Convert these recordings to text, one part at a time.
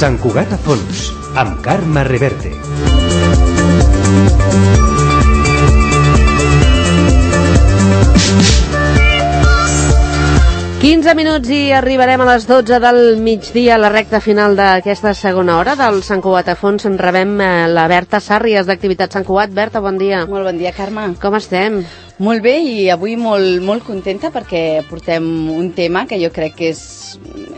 Sant Cugat a fons, amb Carme Reverte. Minuts i arribarem a les 12 del migdia, a la recta final d'aquesta segona hora del Sant Cugat a fons. En rebem la Berta Sàrries, d'Activitat Sant Cugat. Berta, bon dia. Molt bon dia, Carme. Com estem? Molt bé, i avui molt contenta perquè portem un tema que jo crec que és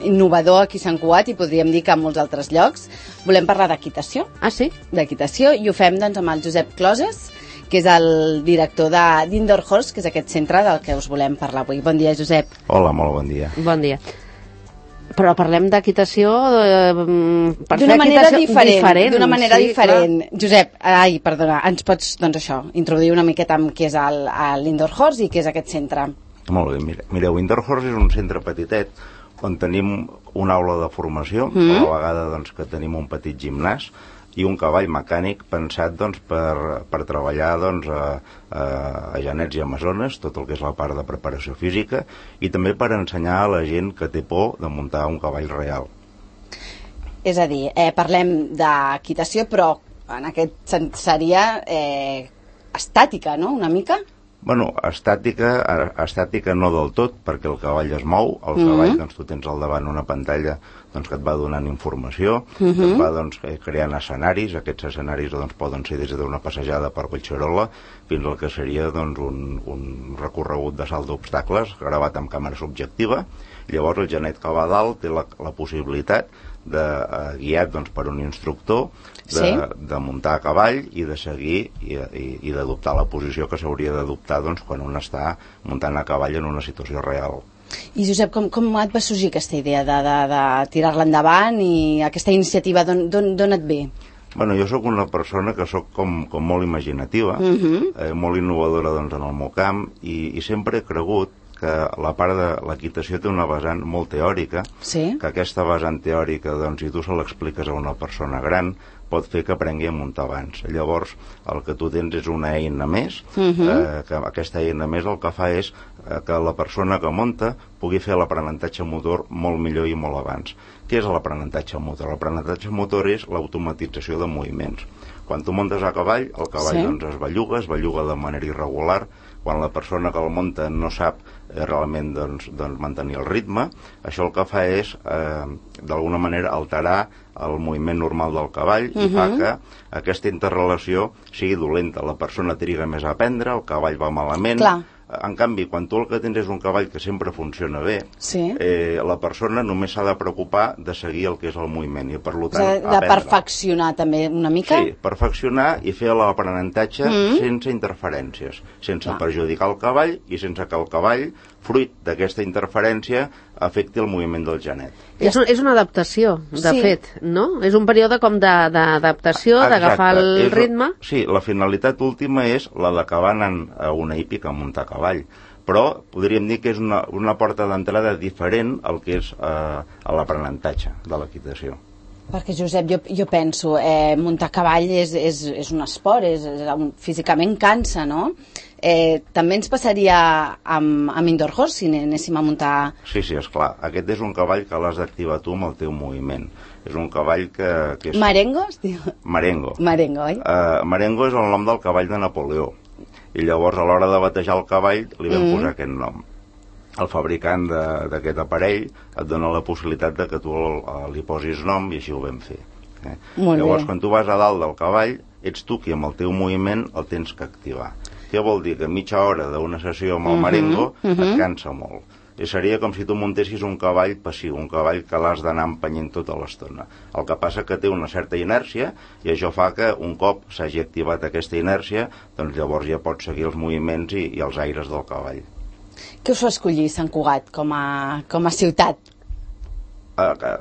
innovador aquí a Sant Cugat i podríem dir que a molts altres llocs. Volem parlar d'equitació. Ah, sí? D'equitació, i ho fem doncs amb el Josep Closes, que és el director d'Indoor Horse, que és aquest centre del que us volem parlar avui. Bon dia, Josep. Hola, molt bon dia. Bon dia. Però parlem d'equitació d'una manera diferent. D'una manera diferent. Josep, perdona, ens pots, doncs això, introduir una miqueta amb què és l'Indoor Horse i què és aquest centre? Molt bé, mireu, Indoor Horse és un centre petitet on tenim una aula de formació, a la vegada doncs, que tenim un petit gimnàs i un cavall mecànic pensat doncs, per treballar doncs, a genets i amazones, tot el que és la part de preparació física, i també per ensenyar a la gent que té por de muntar un cavall real. És a dir, parlem d'equitació, però en aquest seria estàtica, no?, una mica? Bueno, estàtica no del tot, perquè el cavall es mou, el cavall, doncs tu tens al davant una pantalla doncs, que et va donant informació, que et va doncs, creant escenaris. Aquests escenaris doncs, poden ser des d'una passejada per Collserola fins al que seria doncs, un recorregut de salt d'obstacles gravat amb càmera subjectiva. Llavors el genet que va a dalt té la possibilitat guiat doncs, per un instructor de muntar a cavall i de seguir i d'adoptar la posició que s'hauria d'adoptar doncs, quan un està muntant a cavall en una situació real. I Josep, com et va sorgir aquesta idea de tirar-la endavant i aquesta iniciativa d'on et ve? Bueno, jo sóc una persona que sóc com molt imaginativa, molt innovadora doncs, en el meu camp, i sempre he cregut que la part de l'equitació té una vessant molt teòrica, que aquesta vessant teòrica, doncs, si tu se l'expliques a una persona gran, pot fer que aprengui a muntar abans. Llavors, el que tu tens és una eina més, que aquesta eina més el que fa és que la persona que munta pugui fer l'aprenentatge motor molt millor i molt abans. Què és l'aprenentatge motor? L'aprenentatge motor és l'automatització de moviments. Quan tu muntes a cavall, el cavall doncs, es belluga de manera irregular. Quan la persona que el munta no sap realment doncs, mantenir el ritme, això el que fa és, d'alguna manera, alterar el moviment normal del cavall i fa que aquesta interrelació sigui dolenta. La persona triga més a aprendre, el cavall va malament. En canvi, quan tu el que tens és un cavall que sempre funciona bé, la persona només s'ha de preocupar de seguir el que és el moviment i, per tant, de perfeccionar també una mica? Sí, perfeccionar i fer l'aprenentatge sense interferències, sense perjudicar el cavall i sense que el cavall, fruit d'aquesta interferència, afecti el moviment del genet. És una adaptació, de fet, no? És un període com d'adaptació, d'agafar el ritme. Sí, la finalitat última és la d'acabar anant a una hípica a muntar a cavall, però podríem dir que és una porta d'entrada diferent al que és a l'aprenentatge de l'equitació. Perquè, Josep, jo penso, muntar a cavall és un esport, físicament cansa, no? També ens passaria amb Indoor Horse si anéssim a muntar... Sí, esclar. Aquest és un cavall que l'has d'activar tu amb el teu moviment. És un cavall que és... Marengo, es diu? Marengo. Marengo, oi? Marengo és el nom del cavall de Napoleó. I llavors, a l'hora de batejar el cavall, li vam posar aquest nom. El fabricant d'aquest aparell et dona la possibilitat de que tu li posis nom i així ho vam fer. Llavors, quan tu vas a dalt del cavall, ets tu qui amb el teu moviment el tens que activar. Què vol dir? Que mitja hora d'una sessió amb el Marengo et cansa molt. I seria com si tu muntessis un cavall passiu, un cavall que l'has d'anar empenyent tota l'estona. El que passa que té una certa inèrcia i això fa que un cop s'hagi activat aquesta inèrcia, doncs llavors ja pots seguir els moviments i els aires del cavall. Què us fa escollir Sant Cugat com a ciutat?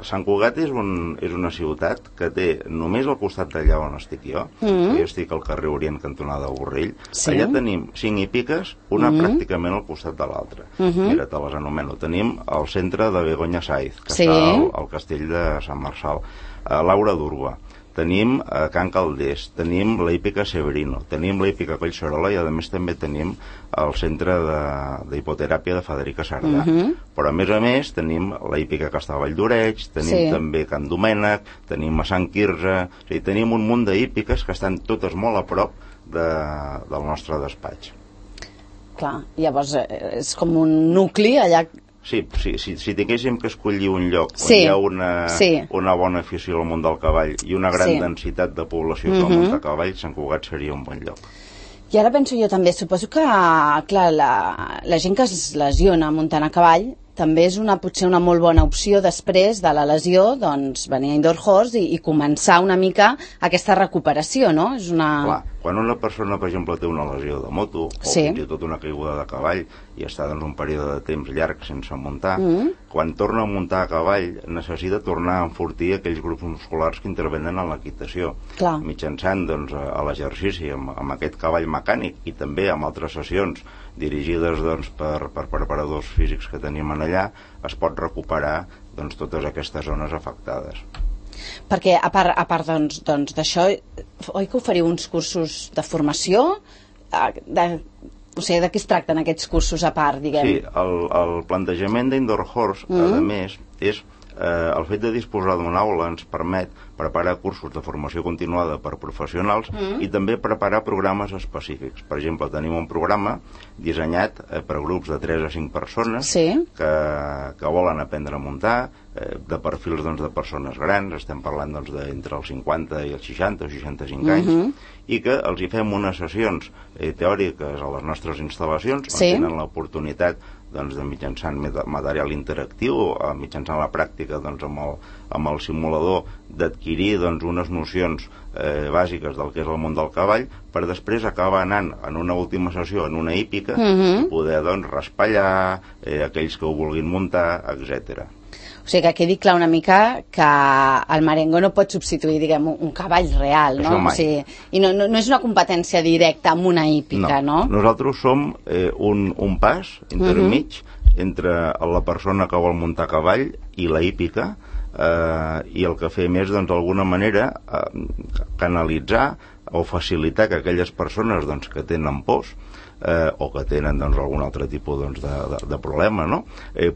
Sant Cugat és una ciutat que té només al costat d'allà on estic jo, que jo estic al carrer Orient, cantonada Borrell. Allà tenim 5 hípiques, una pràcticament al costat de l'altra. Mira, te les anomeno. Tenim el centre de Begoña Sáiz, que està al castell de Sant Marçal, Laura d'Urba. tenim Can Calders, tenim la hípica Severino, tenim la hípica Collserola i a més també tenim el centre d'hipoteràpia de Federica Sardà. Però a més tenim la hípica Castellvall d'Oreig, tenim també Can Domènec, tenim a Sant Quirze, és a dir, tenim un munt d'hípiques que estan totes molt a prop del nostre despatx. Clar, llavors és com un nucli allà. Sí, si tinguéssim que escollir un lloc on hi ha una bona afició al món del cavall i una gran densitat de població que al món del cavall, Sant Cugat seria un bon lloc. I ara penso jo també, suposo que clar, la gent que es lesiona muntant a cavall també és potser una molt bona opció després de la lesió, doncs venir a Indoor Horse i començar una mica aquesta recuperació, no? És Clar, quan una persona, per exemple, té una lesió de moto o fins i tot una caiguda de cavall i està doncs, un període de temps llarg sense muntar, quan torna a muntar a cavall necessita tornar a enfortir aquells grups musculars que intervenen en l'equitació, mitjançant doncs, a l'exercici amb aquest cavall mecànic i també amb altres sessions dirigides doncs, per preparadors físics que tenim allà, es pot recuperar doncs, totes aquestes zones afectades. Perquè a part doncs, d'això, oi que oferiu uns cursos de formació? O sigui, de què es tracten aquests cursos a part, diguem? Sí, el plantejament d'Indoor Horse, a més, és el fet de disposar d'una aula ens permet preparar cursos de formació continuada per professionals i també preparar programes específics. Per exemple, tenim un programa dissenyat per grups de 3 a 5 persones que volen aprendre a muntar, de perfils doncs, de persones grans, estem parlant doncs, d'entre els 50 i els 60 o 65 anys, i que els hi fem unes sessions teòriques a les nostres instal·lacions on tenen l'oportunitat doncs, de mitjançant material interactiu, mitjançant la pràctica doncs, amb el simulador, d'adquirir doncs, unes nocions bàsiques del que és el món del cavall, per després acabar anant en una última sessió en una hípica i poder doncs, raspallar aquells que ho vulguin muntar, etc. O sigui, que quedi clar una mica que el merengo no pot substituir, diguem, un cavall real, no? O sigui, i no és una competència directa amb una hípica, no? Nosaltres som un pas intermig entre la persona que vol muntar cavall i la hípica, i el que fem és, doncs, d'alguna manera, canalitzar o facilitar que aquelles persones doncs, que tenen pors o que tenen doncs, algun altre tipus doncs, de problema, no?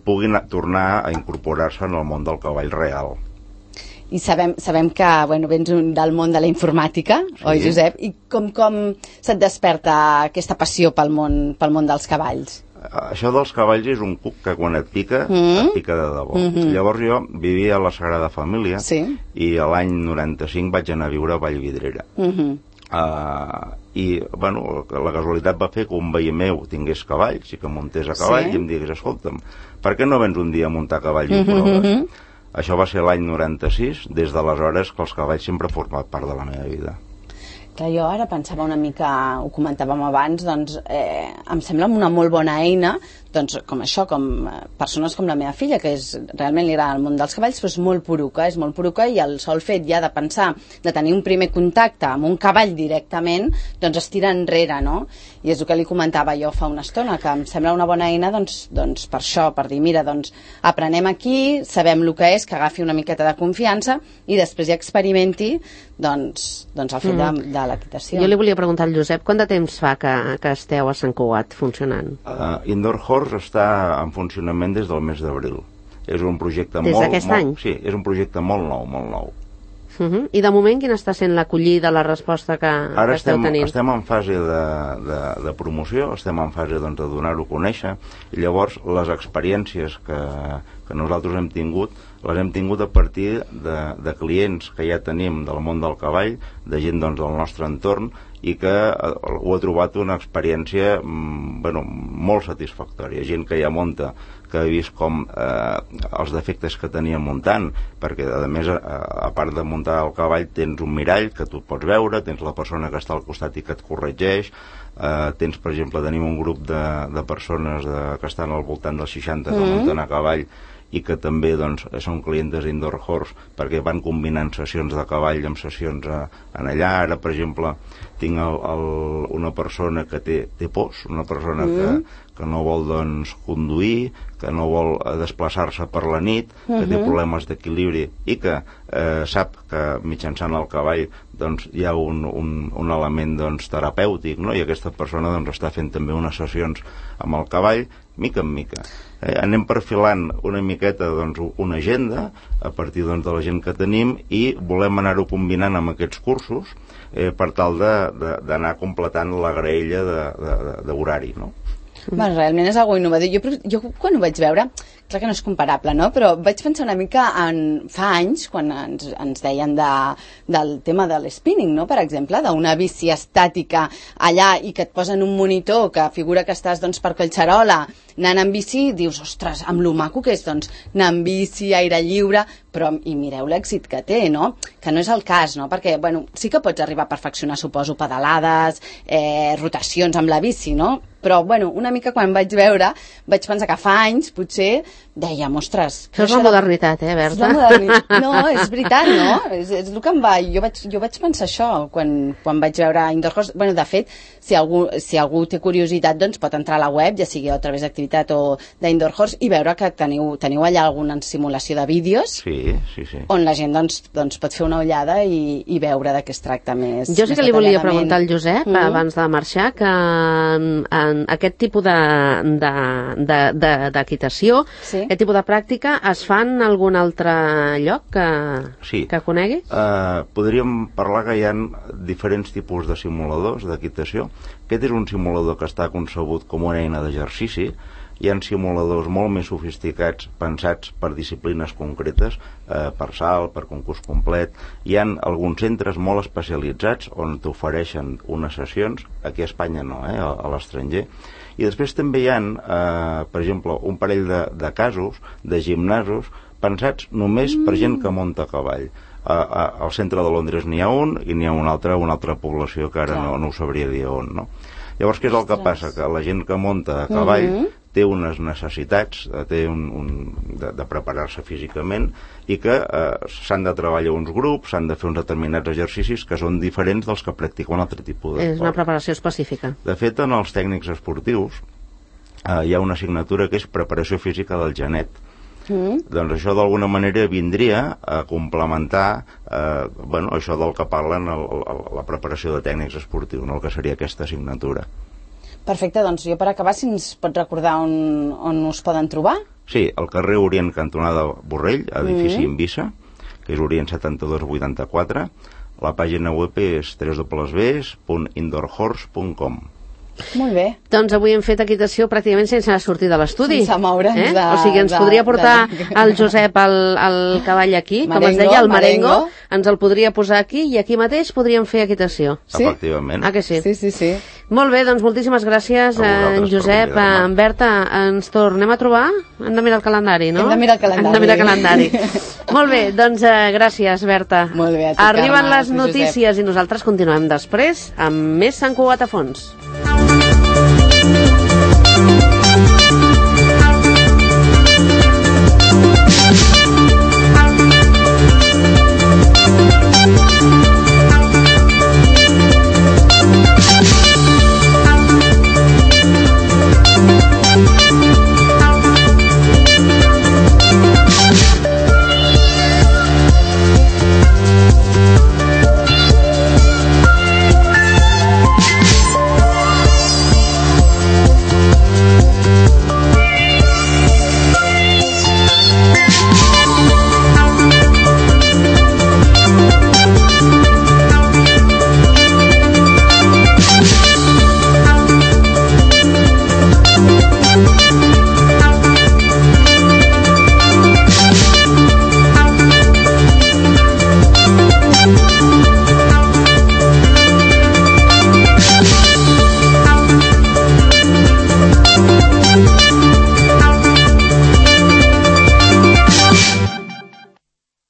Puguin tornar a incorporar-se en el món del cavall real. I sabem que vens del món de la informàtica, oi, Josep? I com se't desperta aquesta passió pel món dels cavalls? Això dels cavalls és un cuc que quan et pica de debò. Llavors jo vivia a la Sagrada Família i l'any 95 vaig anar a viure a Vallvidrera. I la casualitat va fer que un veí meu tingués cavalls i que muntés a cavall i em digués, escolta'm, per què no vens un dia a muntar a cavall i ho proves? Això va ser l'any 96, des d'aleshores que els cavalls sempre han format part de la meva vida. Clar, jo ara pensava una mica, ho comentàvem abans, doncs em sembla una molt bona eina, doncs com això, com persones com la meva filla, que realment li agrada el món dels cavalls, però és molt poruca i el sol fet ja de pensar, de tenir un primer contacte amb un cavall directament, doncs es tira enrere, no? I és el que li comentava jo fa una estona, que em sembla una bona eina, doncs per això, per dir, mira, doncs aprenem aquí, sabem el que és, que agafi una miqueta de confiança i després ja experimenti, doncs el fet de l'equitació. Jo li volia preguntar al Josep, quant de temps fa que esteu a Sant Cugat funcionant? Indoor Horse està en funcionament des del mes d'abril. És un projecte des d'aquest any? Sí, és un projecte molt nou. I de moment quina està sent l'acollida, la resposta que esteu tenint? Ara estem en fase de promoció, estem en fase doncs, de donar-ho a conèixer, i llavors les experiències que nosaltres hem tingut, les hem tingut a partir de clients que ja tenim del món del cavall, de gent doncs, del nostre entorn, i que ho ha trobat una experiència molt satisfactòria. Gent que ja munta, que ha vist com els defectes que tenia muntant, perquè a més a part de muntar el cavall tens un mirall que tu pots veure, tens la persona que està al costat i que et corregeix, tens, per exemple, tenim un grup de persones que estan al voltant dels 60 que munten a cavall i que també doncs, són clientes d'Indoor Horse perquè van combinant sessions de cavall amb sessions en allà. Ara, per exemple, tinc una persona que té pors, una persona que no vol doncs, conduir, que no vol desplaçar-se per la nit, que té problemes d'equilibri i que sap que mitjançant el cavall doncs, hi ha un element doncs, terapèutic, no? I aquesta persona doncs, està fent també unes sessions amb el cavall, mica en mica. Anem perfilant una miqueta doncs, una agenda a partir doncs, de la gent que tenim i volem anar-ho combinant amb aquests cursos per tal d'anar completant la graella d'horari, no? Bueno, realment és algo innovador. Jo quan ho vaig veure, clar que no és comparable, no? Però vaig pensar una mica fa anys, quan ens deien del tema de l'spinning, no? Per exemple, d'una bici estàtica allà i que et posen un monitor que figura que estàs doncs, per Collserola anant en bici, dius, ostres, amb lo maco que és, doncs, anar en bici, aire lliure, però, i mireu l'èxit que té, no? Que no és el cas, no? Perquè, bueno, sí que pots arribar a perfeccionar, suposo, pedalades, rotacions amb la bici, no? Però, bueno, una mica quan vaig veure, vaig pensar que fa anys, potser, dèiem, ostres... Això és la modernitat, Berta? És la modernitat. No, és veritat, no? És el que em va... Jo vaig pensar això quan vaig veure Indoor Horse. Bueno, de fet, si algú té curiositat, doncs pot entrar a la web, ja sigui a través d'activitat o d'Indoor Horse, i veure que teniu allà alguna simulació de vídeos on la gent doncs pot fer una ullada i veure de què es tracta més. Jo sí que li volia preguntar al Josep, abans de marxar, que en aquest tipus d'equitació, aquest tipus de pràctica, es fan en algun altre lloc que conegui? Podríem parlar que hi ha diferents tipus de simuladors d'equitació. Aquest és un simulador que està concebut com una eina d'exercici. Hi ha simuladors molt més sofisticats, pensats per disciplines concretes, per salt, per concurs complet. Hi ha alguns centres molt especialitzats on t'ofereixen unes sessions, aquí a Espanya no, a l'estranger. I després també hi ha, per exemple, un parell de casos, de gimnasos, pensats només per gent que munta a cavall. Al centre de Londres n'hi ha un i n'hi ha una altra població que ara no ho sabria dir on, no? Llavors, què és el que passa? Que la gent que munta a cavall té unes necessitats de preparar-se físicament i que s'han de treballar uns grups, s'han de fer uns determinats exercicis que són diferents dels que practiquen un altre tipus d'esport. És una preparació específica. De fet, en els tècnics esportius hi ha una assignatura que és preparació física del genet. Doncs això d'alguna manera vindria a complementar això del que parlen la preparació de tècnics esportius, el que seria aquesta assignatura. Perfecte, doncs jo per acabar, si ens pots recordar on us poden trobar? Sí, al carrer Orient cantonada Borrell, edifici Invisa, que és Orient 7284. La pàgina web és www.indoorhorse.com. Molt bé. Doncs avui hem fet equitació pràcticament sense sortir de l'estudi. Sense moure'ns O sigui, ens podria portar el Josep el cavall aquí, com es deia, el merengo, ens el podria posar aquí i aquí mateix podríem fer equitació. Sí? Efectivament. Ah, que sí? Sí. Molt bé, doncs moltíssimes gràcies, Josep. Berta, ens tornem a trobar? Hem de mirar el calendari, no? Hem de mirar el calendari. Molt bé, doncs gràcies, Berta. Molt bé, a tu, Arriben Carme, les notícies i nosaltres continuem després amb més Sant Cugat a fons.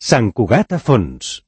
Sant Cugat a fons.